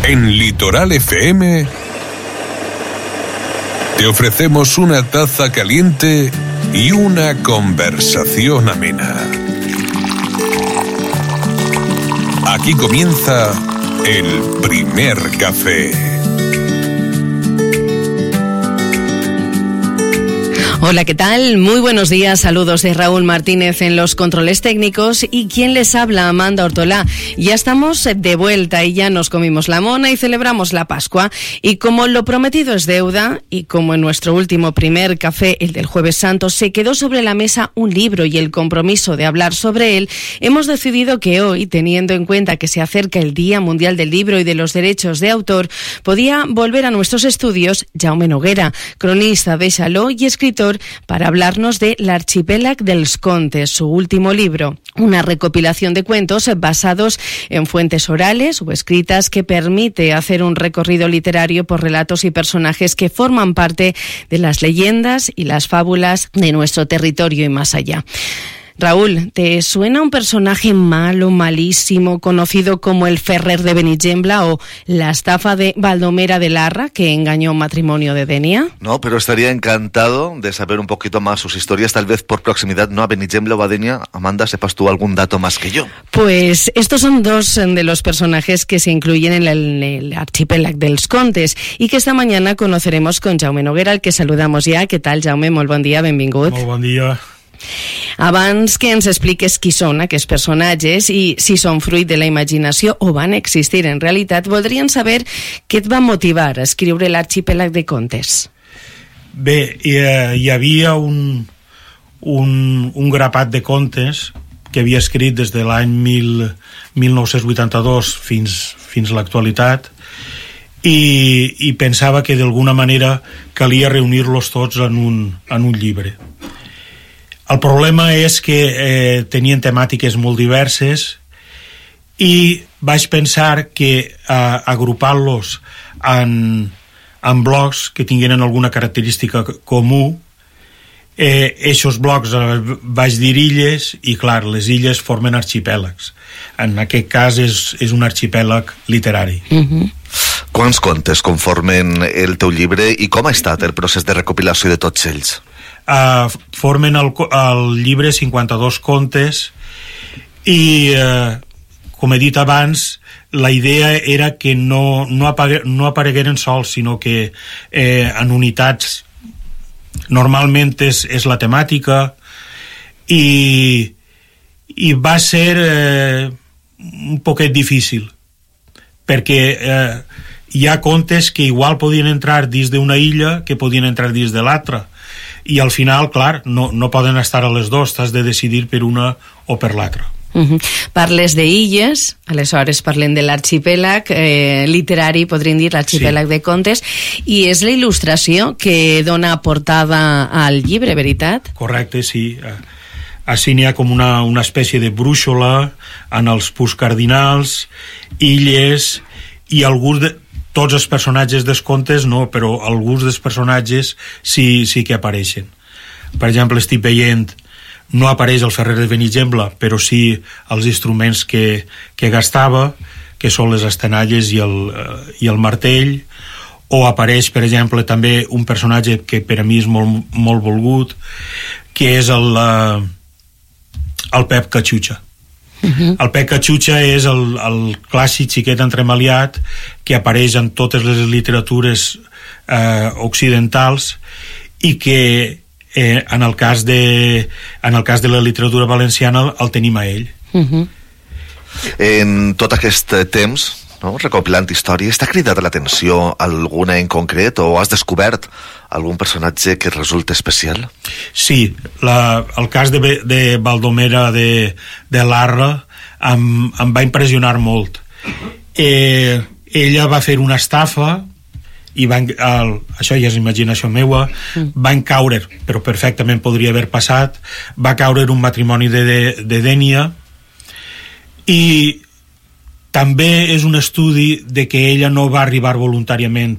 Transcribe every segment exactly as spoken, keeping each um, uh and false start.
En Litoral F M te ofrecemos una taza caliente y una conversación amena. Aquí comienza el primer café. Hola, ¿qué tal? Muy buenos días, saludos de Raúl Martínez en los controles técnicos y quien les habla, Amanda Ortolá. Ya estamos de vuelta y ya nos comimos la mona y celebramos la Pascua, y como lo prometido es deuda y como en nuestro último primer café, el del Jueves Santo, se quedó sobre la mesa un libro y el compromiso de hablar sobre él, hemos decidido que hoy, teniendo en cuenta que se acerca el Día Mundial del Libro y de los Derechos de Autor, podía volver a nuestros estudios Jaume Noguera, cronista de Xaló y escritor, para hablarnos de L'Arxipèlag dels Contes, su último libro, una recopilación de cuentos basados en fuentes orales o escritas que permite hacer un recorrido literario por relatos y personajes que forman parte de las leyendas y las fábulas de nuestro territorio y más allá. Raúl, ¿te suena un personaje malo, malísimo, conocido como el Ferrer de Benigembla o la estafa de Baldomera de Larra, que engañó un matrimonio de Denia? No, pero estaría encantado de saber un poquito más sus historias, tal vez por proximidad, no a Benigembla o a Denia. Amanda, ¿sepas tú algún dato más que yo? Pues estos son dos de los personajes que se incluyen en el, el Arxipèlag dels Contes y que esta mañana conoceremos con Jaume Noguera, al que saludamos ja. Què tal, Jaume? Molt bon dia, benvingut. Molt bon dia. Abans que ens expliques qui són aquests personatges i si són fruit de la imaginació o van existir en realitat, voldríem saber què et va motivar a escriure l'Arxipèlag de Contes. Bé, hi, hi havia un, un, un grapat de contes que havia escrit des de l'any mil nou-cents vuitanta-dos fins, fins a l'actualitat, i, i pensava que d'alguna manera calia reunir-los tots en un, en un llibre. El problema és que eh, tenien temàtiques molt diverses i vaig pensar que eh, agrupant-los en, en blocs que tingueren alguna característica comú, eh, eixos blocs eh, vaig dir illes, i clar, les illes formen arxipèlags. En aquest cas és, és un arxipèlag literari. Uh-huh. Quants contes conformen el teu llibre i com ha estat el procés de recopilació de tots ells? Uh, formen el, el llibre cinquanta-dos contes i, uh, com he dit abans, la idea era que no, no, apague, no aparegueren sols, sinó que eh, en unitats. Normalment és, és la temàtica, i, i va ser eh, un poquet difícil, perquè eh, hi ha contes que igual podien entrar dins d'una illa que podien entrar dins de l'altra, i al final, clar, no, no poden estar a les dues, t'has de decidir per una o per l'altra. Uh-huh. Parles d'illes, aleshores parlem de l'arxipèlag eh, literari, podríem dir l'arxipèlag sí. de contes, i és la il·lustració que dona portada al llibre, veritat? Correcte, sí. Així n'hi ha com una, una espècie de brúixola en els punts cardinals, illes, i alguns de tots els personatges dels contes no, però alguns dels personatges sí, sí que apareixen. Per exemple, estic veient, no apareix el Ferrer de Benigembla, però sí els instruments que, que gastava, que són les estenalles i el, i el martell, o apareix, per exemple, també un personatge que per a mi és molt, molt volgut, que és el, el Pep Catxutxa. Uh-huh. El Pep Catxutxa és el, el clàssic xiquet entremaliat que apareix en totes les literatures eh, occidentals i que eh, en, el cas de, en el cas de la literatura valenciana el tenim a ell. Uh-huh. En tot aquest temps, no, recopilant històries, t'ha cridat l'atenció alguna en concret o has descobert algun personatge que resulta especial? Sí, la, el cas de, de Baldomera de, de Larra em, em va impressionar molt. Eh, ella va fer una estafa i van, el, això ja és imaginació meua, mm. van caure, però perfectament podria haver passat, va caure un matrimoni de, de, de Denia, i també és un estudi de que ella no va arribar voluntàriament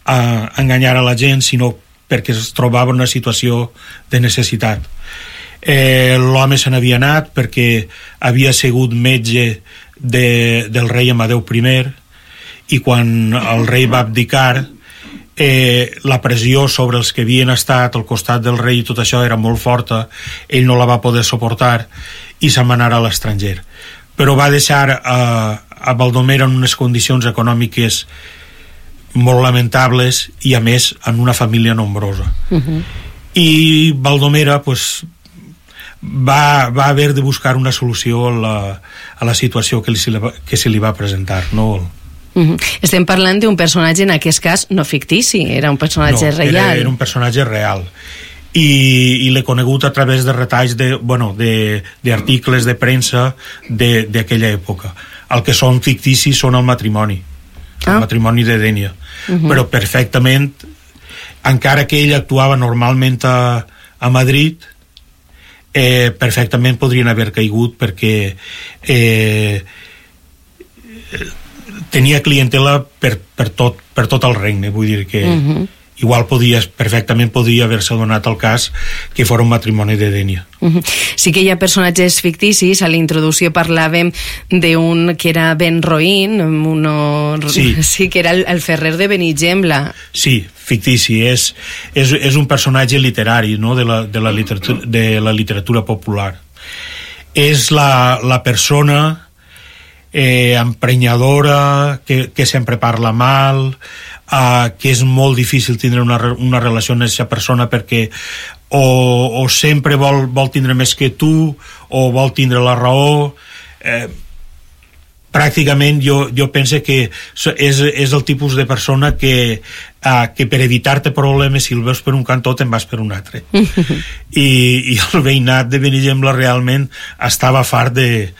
a enganyar a la gent, sinó perquè es trobava en una situació de necessitat. Eh, l'home se n'havia anat perquè havia sigut metge de, del rei Amadeu I, i quan el rei va abdicar, eh, la pressió sobre els que havien estat al costat del rei i tot això era molt forta, ell no la va poder suportar i se'n va anar a l'estranger, però va deixar eh, a Baldomer en unes condicions econòmiques molt lamentables i a més en una família nombrosa. Uh-huh. I Baldomera pues, va, va haver de buscar una solució a la, a la situació que, li, que se li va presentar, no? Uh-huh. Estem parlant d'un personatge, en aquest cas, no fictici, era un personatge no, real. Era, era un personatge real. I, i l'he conegut a través de retalls de, bueno, de, d'articles de premsa d'aquella època. El que són ficticis són el matrimoni, el ah. matrimoni de Dénia. Uh-huh. Però perfectament, encara que ell actuava normalment a, a Madrid, eh, perfectament podrien haver caigut perquè eh, tenia clientela per, per, tot, per tot el regne, vull dir que uh-huh. igual podia, perfectament podria haver-se donat el cas que fos un matrimoni de Dénia. Uh-huh. Sí que hi ha personatges ficticis. A la introducció parlàvem d'un que era Ben Roín, uno... sí. sí, que era el, el ferrer de Benigembla. Sí, fictici, és, és, és un personatge literari, no? de, la, de, la literatura, de la literatura popular. És la, la persona eh, emprenyadora, que, que sempre parla mal, Uh, que és molt difícil tindre una, una relació amb aquesta persona perquè o, o sempre vol, vol tindre més que tu o vol tindre la raó. eh, pràcticament jo, jo penso que és, és el tipus de persona que, uh, que per evitar-te problemes, si el veus per un cantó te'n vas per un altre. I, i el veïnat de Benigembla realment estava fart de,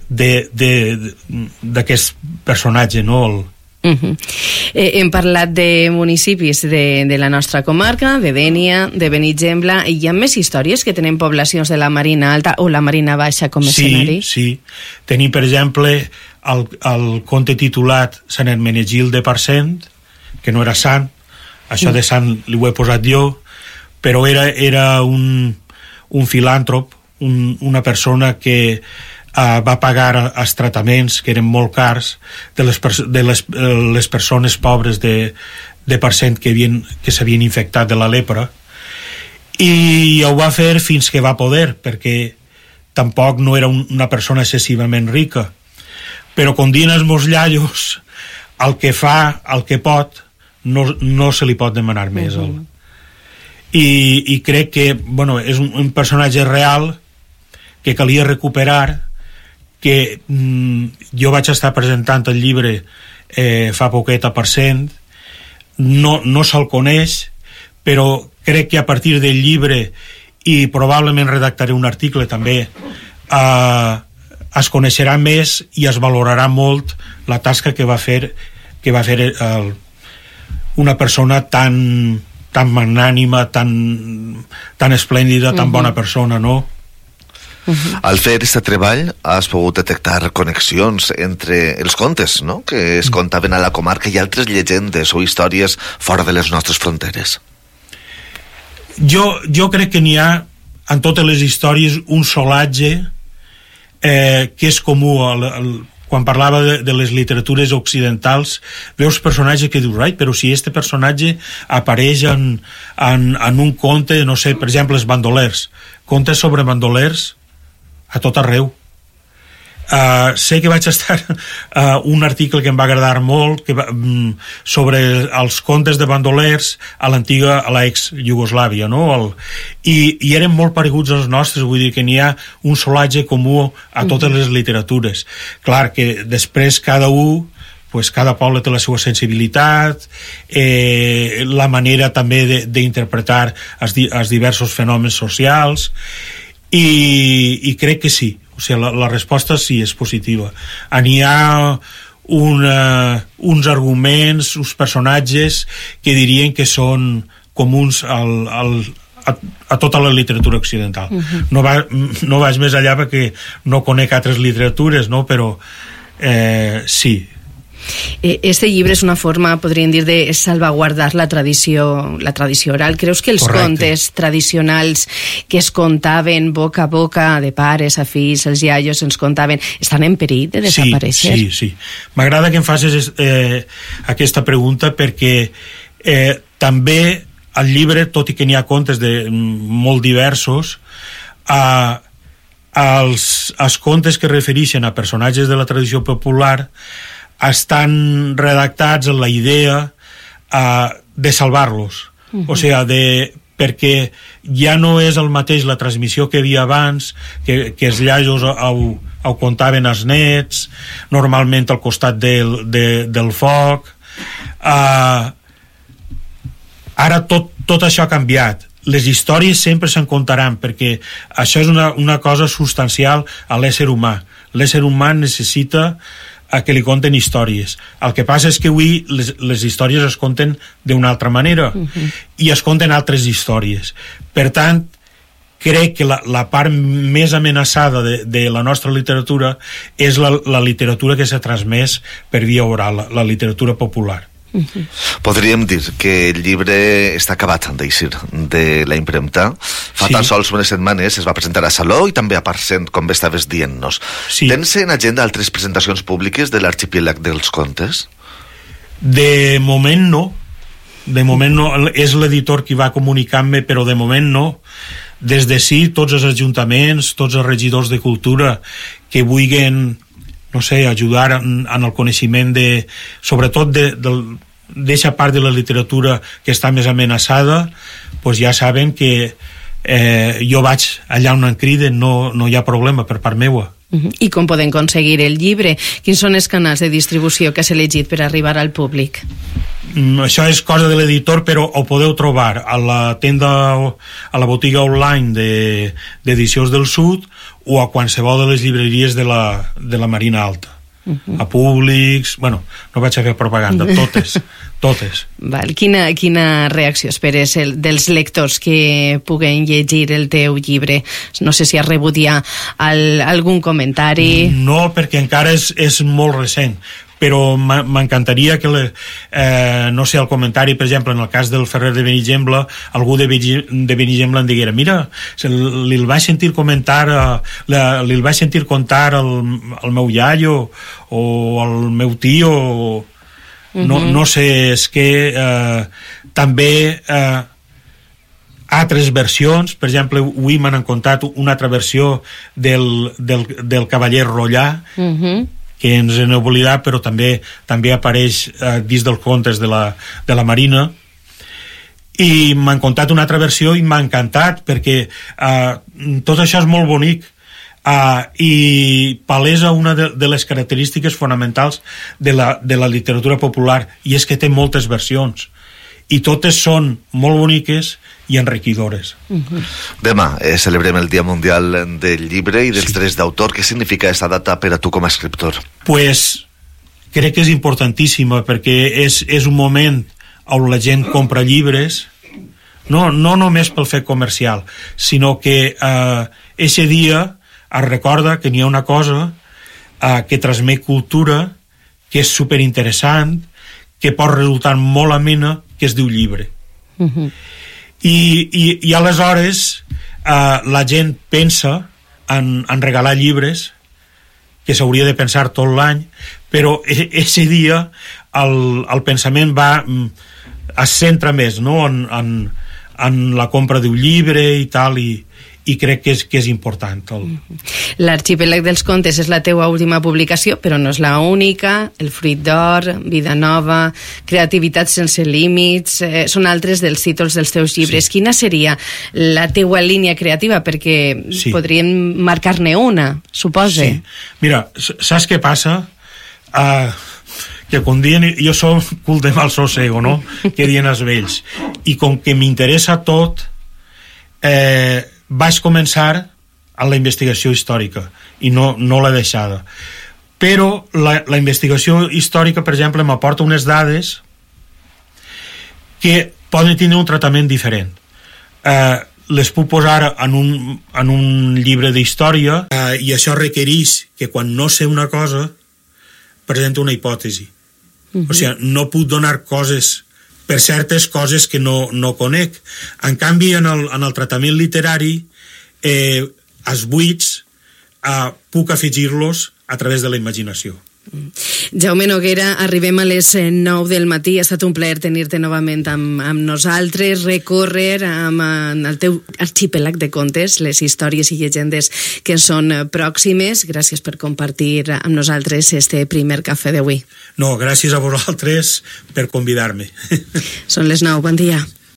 de, de, de, d'aquest personatge, no? El, Uh-huh. eh, hem parlat de municipis de, de la nostra comarca, de Dénia, de Benigembla. Hi ha més històries que tenen poblacions de la Marina Alta o la Marina Baixa com a sí, escenari? Sí, tenim per exemple el, el conte titulat Sant Hermenegild de Parcent, que no era sant, això de sant li ho he posat jo, però era, era un, un filàntrop, un, una persona que Uh, va pagar els tractaments que eren molt cars de les, de les, les persones pobres de, de Parcent que, havien, que s'havien infectat de la lepra, i ho va fer fins que va poder, perquè tampoc no era un, una persona excessivament rica, però com diuen els meus iaios, el que fa, el que pot, no, no se li pot demanar més. Uh-huh. I, i crec que bueno, és un, un personatge real que calia recuperar, que mm, jo vaig estar presentant el llibre eh, fa poquet a Parcent, no, no se'l coneix, però crec que a partir del llibre, i probablement redactaré un article també, eh, es coneixerà més i es valorarà molt la tasca que va fer, que va fer el, una persona tan, tan magnànima, tan, tan esplèndida, tan uh-huh. bona persona, no? Uh-huh. Al fer aquest treball has pogut detectar connexions entre els contes, no?, que es contaven a la comarca i altres llegendes o històries fora de les nostres fronteres. Jo, jo crec que n'hi ha en totes les històries un solatge eh, que és comú al, al, quan parlava de, de les literatures occidentals. Veus personatges que dius, ai, però si este personatge apareix en, en, en un conte, no sé, per exemple, els bandolers, contes sobre bandolers a tot arreu. Uh, sé que vaig estar uh, un article que em va agradar molt que va, um, sobre els contes de bandolers a l'antiga, a l'ex Iugoslàvia, no? El, i, i eren molt pareguts als nostres, vull dir que n'hi ha un solatge comú a totes les literatures. Clar que després cada un, pues cada poble té la seva sensibilitat, eh, la manera també d'interpretar els, els diversos fenòmens socials, i, i crec que sí, o sigui, la, la resposta sí és positiva. N'hi ha una, uns arguments, uns personatges que dirien que són comuns al, al, a, a tota la literatura occidental. Uh-huh. no, va, no vaig més allà perquè no conec altres literatures, no? Però eh, sí. Este llibre és una forma, podríem dir, de salvaguardar la tradició, la tradició oral. Creus que els Correcte. contes tradicionals que es contaven boca a boca, de pares a fills, els iaios ens contaven, estan en perill de desaparèixer? Sí, sí, sí. M'agrada que em facis eh, aquesta pregunta perquè eh, també al llibre, tot i que n'hi ha contes de, molt diversos, eh, els, els contes que refereixen a personatges de la tradició popular estan redactats amb la idea eh, de salvar-los. Uh-huh. O sigui, de, perquè ja no és el mateix la transmissió que hi havia abans, que, que els iaios ho, ho contaven als nets, normalment al costat del, de, del foc. Uh, ara tot, tot això ha canviat. Les històries sempre se'n contaran, perquè això és una, una cosa substancial a l'ésser humà. L'ésser humà necessita a que li conten històries. El que passa és que avui les, les històries es conten d'una altra manera, uh-huh. i es conten altres històries. Per tant, crec que la, la part més amenaçada de, de la nostra literatura és la, la literatura que s'ha transmès per via oral, la, la literatura popular. Uh-huh. Podríem dir que el llibre està acabat d'eixir de la impremta. Fa sí. tan sols unes setmanes es va presentar a Saló i també a Parcent, com bé estaves dient-nos. Sí. Tens en agenda altres presentacions públiques de l'Arxipèlag dels Contes? De moment no. De moment no. És l'editor qui va comunicar-me, però de moment no. Des de sí, tots els ajuntaments, tots els regidors de cultura que vulguin, no sé, ajudar en, en el coneixement de, sobretot de, de, d'eixa part de la literatura que està més amenaçada, pues ja saben que eh, jo vaig allà on em criden, no, no hi ha problema per part meua. Uh-huh. I com poden aconseguir el llibre? Quins són els canals de distribució que has elegit per arribar al públic? Mm, això és cosa de l'editor, però ho podeu trobar a la tenda, a la botiga online de, d'Edicions del Sud, o a qualsevol de les llibreries de la, de la Marina Alta. Uh-huh. A Públics, bueno, no vaig a fer propaganda, totes, totes. Val. Quina, quina reacció esperes el, dels lectors que puguen llegir el teu llibre? No sé si has rebut ja el, algun comentari. No, perquè encara és, és molt recent, però m'encantaria que, le, eh, no sé, el comentari, per exemple, en el cas del Ferrer de Benigembla, algú de, de Benigembla em diguera, mira, li el vaig sentir comentar, eh, li el vaig sentir contar al, al meu iaio o al meu tio, o, no, uh-huh. no sé, és que eh, també eh, altres versions, per exemple, avui m'han contat una altra versió del, del, del Cavaller Rollà, uh-huh. que ens hem oblidat, però també també apareix eh, dins dels contes de la, de la Marina, i m'han contat una altra versió i m'ha encantat, perquè eh, tot això és molt bonic, eh, i palesa una de, de les característiques fonamentals de la, de la literatura popular, i és que té moltes versions, i totes són molt boniques i enriquidores. Uh-huh. Demà eh, celebrem el Dia Mundial del Llibre i dels sí. drets d'autor. Què significa aquesta data per a tu com a escriptor? Pues crec que és importantíssima, perquè és, és un moment on la gent compra llibres, no, no només pel fet comercial, sinó que eh, eixe dia es recorda que n'hi ha una cosa eh, que transmet cultura, que és superinteressant, que pot resultar molt amena, que es diu llibre. Uh-huh. I, i, i aleshores eh, la gent pensa en, en regalar llibres, que s'hauria de pensar tot l'any, però ese dia el, el pensament va es centra més, no?, en, en, en la compra d'un llibre i tal, i, i crec que és, que és important. El... L'Arxipèlag dels Contes és la teua última publicació, però no és la única. El Fruit d'Or, Vida Nova, Creativitat sense límits, eh, són altres dels títols dels teus llibres. Sí. Quina seria la teua línia creativa? Perquè sí. podríem marcar-ne una, supose. Sí. Mira, saps què passa? Uh, que quan dien, jo som cul de mal sosego, no?, que dien els vells. I com que m'interessa tot, eh, vaig començar a la investigació històrica i no, no l'he deixada, però la, la investigació històrica, per exemple, m'aporta unes dades que poden tenir un tractament diferent. Eh, les puc posar en un, en un llibre d'història, eh, i això requereix que quan no sé una cosa presento una hipòtesi, Uh-huh. O sigui, no puc donar coses per certes coses que no, no conec. En canvi, en el, en el tractament literari, eh, els buits eh, puc afegir-los a través de la imaginació. Jaume Noguera, arribem a les nou del matí. Ha estat un plaer tenir-te novament amb, amb nosaltres, recórrer amb, amb el teu arxipelag de contes, les històries i llegendes que són pròximes. Gràcies per compartir amb nosaltres este primer cafè d'avui. No, gràcies a vosaltres per convidar-me. Són les nou, bon dia.